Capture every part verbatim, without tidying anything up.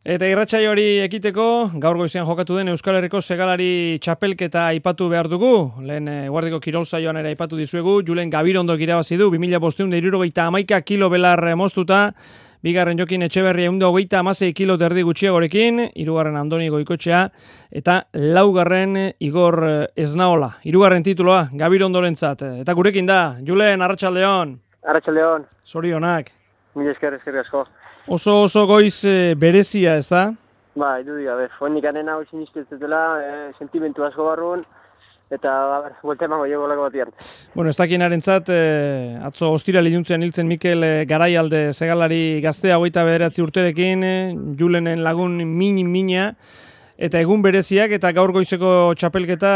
Eta irratsaio hori ekiteko, gaur goizean jokatu den Euskal Herriko segalari txapelketa aipatu behar dugu. Lehen Guardiko kirol saioan ere aipatu dizuegu, Julen Gabirondok irabazi du, bi mila bostehun eta hirurogeita hamaika kilo belar moztuta, bigarren Jokin Etxeberria ehun eta hogeita hamasei kilo terdi gutxiagorekin, hirugarren Andoni Goikoetxea, eta laugarren Igor Esnaola. Hirugarren tituloa Gabirondorentzat. Eta gurekin da, Julen, arratsaldeon. Arratsaldeon. Zorionak. Mila esker, esker asko. Oso oso goiz e, berezia, ez da? Ba, idudik, gabe, fonik anena hau sinistezetela, e, sentimentu asko barruan, eta, ber, buelta emango jego lako batian. Bueno, ez dakienarentzat, e, atzo ostira liluntzean hiltzen Mikel e, Garaialde segalari gaztea hogeita bederatzi urterekin, e, Julenen lagun min-mina, eta egun bereziak, eta gaur goizeko txapelketa,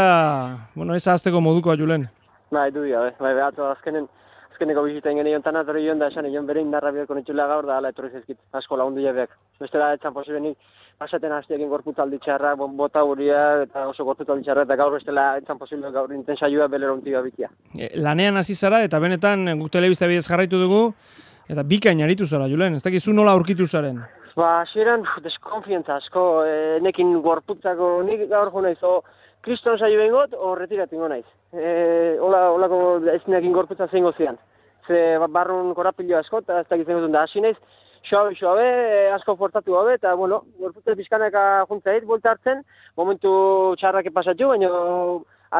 bueno, ez ahazteko modukoa, Julen. Ba, idudik, gabe, bai, atzo azkenen, azkeneko biziten gene jontan atorri joan da esan egon bere indarra biharko nitxula gaur da ala etorri zezkit asko lagundu jabeak. Bestela etzan posibenik pasaten hasteekin gorputzaldi txarra, bota huria eta oso gorputzaldi txarra eta gaur bestela etzan posible gaur inten saioa belero unti gabitia. E, lanean hasi zara eta benetan guk telebista bidez jarraitu dugu eta bikain aritu zara, Julen, ez dakizu nola aurkitu zaren? Ba, hasieran deskonfiantza asko, e, nekin gorputzako nik gaur jo naiz, o kriston saio bengot, o retiratingo naiz. E, ola, olako ez nekin gorputza zein gozian. Ze barrun korapilo asko, eta ez dakitzen gutun da, hasi naiz, xoabe, xoabe, asko fortatu gabe, eta, bueno, gorputza pizkanaka juntzait, bolta hartzen, momentu txarrak pasatxu, baina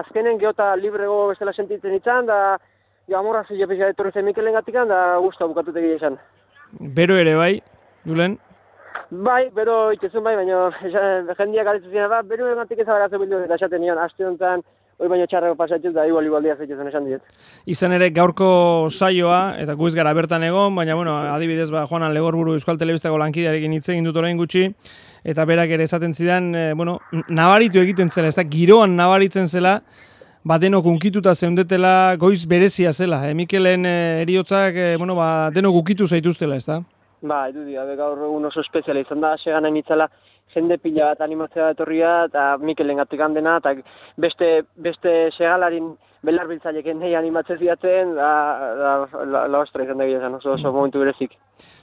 azkenen geota librego bestela sentitzen itzan, da, ja, amorra zile pizia etorri zen Mikelen gatikan, da, guztua bukatutek izan. Bero ere bai, Julen? Bai, bero itezun bai, baina jendiak galetu ziren, ba, bero egatik ezabaratzen bildu, eta esaten nion, aste honetan, hoi baina txarrako pasatxuz, da igual igual dia zeitezen esan diet. Izan ere gaurko saioa, eta gu ez gara bertan egon, baina bueno, adibidez ba, Juanan Legorburu Euskal Telebistako lankidearekin hitz egin dut orain gutxi, eta berak ere esaten zidan, e, bueno, nabaritu egiten zela, ez da, giroan nabaritzen zela, ba, denok unkituta zeundetela, goiz berezia zela, e, Mikelen e, eriotzak, e, bueno, ba, denok ukitu zaituztela, ez da? Ba, edudi, gaur egun oso espeziala izan da, segan hain itzala, jende pila bat animatzea etorria eta Mikelen gatik handena, eta beste, beste segalarin belarbiltzaileken nahi animatzen ziatzen, da, da, la, la ostra izan da gila oso, oso momentu berezik.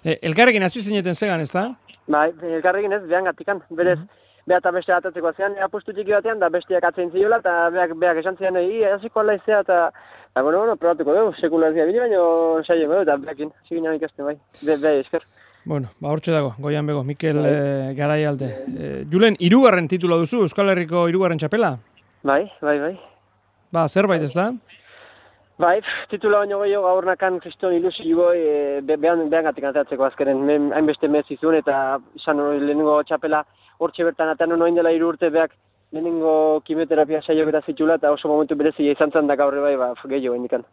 E, elkarrekin hasi zineten zegan, ez da? Ba, elkarrekin ez, behan gatikan, berez, beha eta beste atatzeko zean, apustu txiki batean, da besteak atzen ziola, eta beak, beak esan zian, hi, hasiko ala izea, eta, eta, bueno, bueno, probatuko dugu, sekularizia bine, baina saio dugu, eta beakin, hasi ginen ikasten bai, be, be, esker. Bueno, ba, hortxe dago, goian bego, Mikel e, Garaialde. E, Julen, hirugarren titula duzu, Euskal Herriko hirugarren txapela? Bai, bai, bai. Ba, zerbait ez da? Bai, titula baino gehiago gaur nakan kriston ilusio e, be, behan, behan gatik atatzeko azkeren, hainbeste mez izun, eta izan lehenengo txapela hortxe bertan atan noin dela hiru urte beak lehenengo kimioterapia saiok eta zitula, eta oso momentu berezia izan zen da gaur bai, ba, gehiago indikan.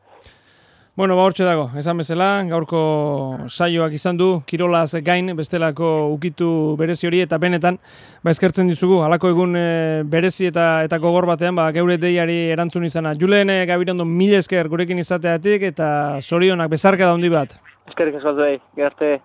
Bueno, ba, hortxe dago, esan bezala, gaurko saioak izan du, kirolaz gain, bestelako ukitu berezi hori, eta benetan, ba, eskertzen dizugu, halako egun e, berezi eta eta gogor batean, ba, geure deiari erantzun izana. Julen e, Gabirondo mila esker gurekin izateatik, eta zorionak bezarka da handi bat. Eskerrik asko zuei, gerte.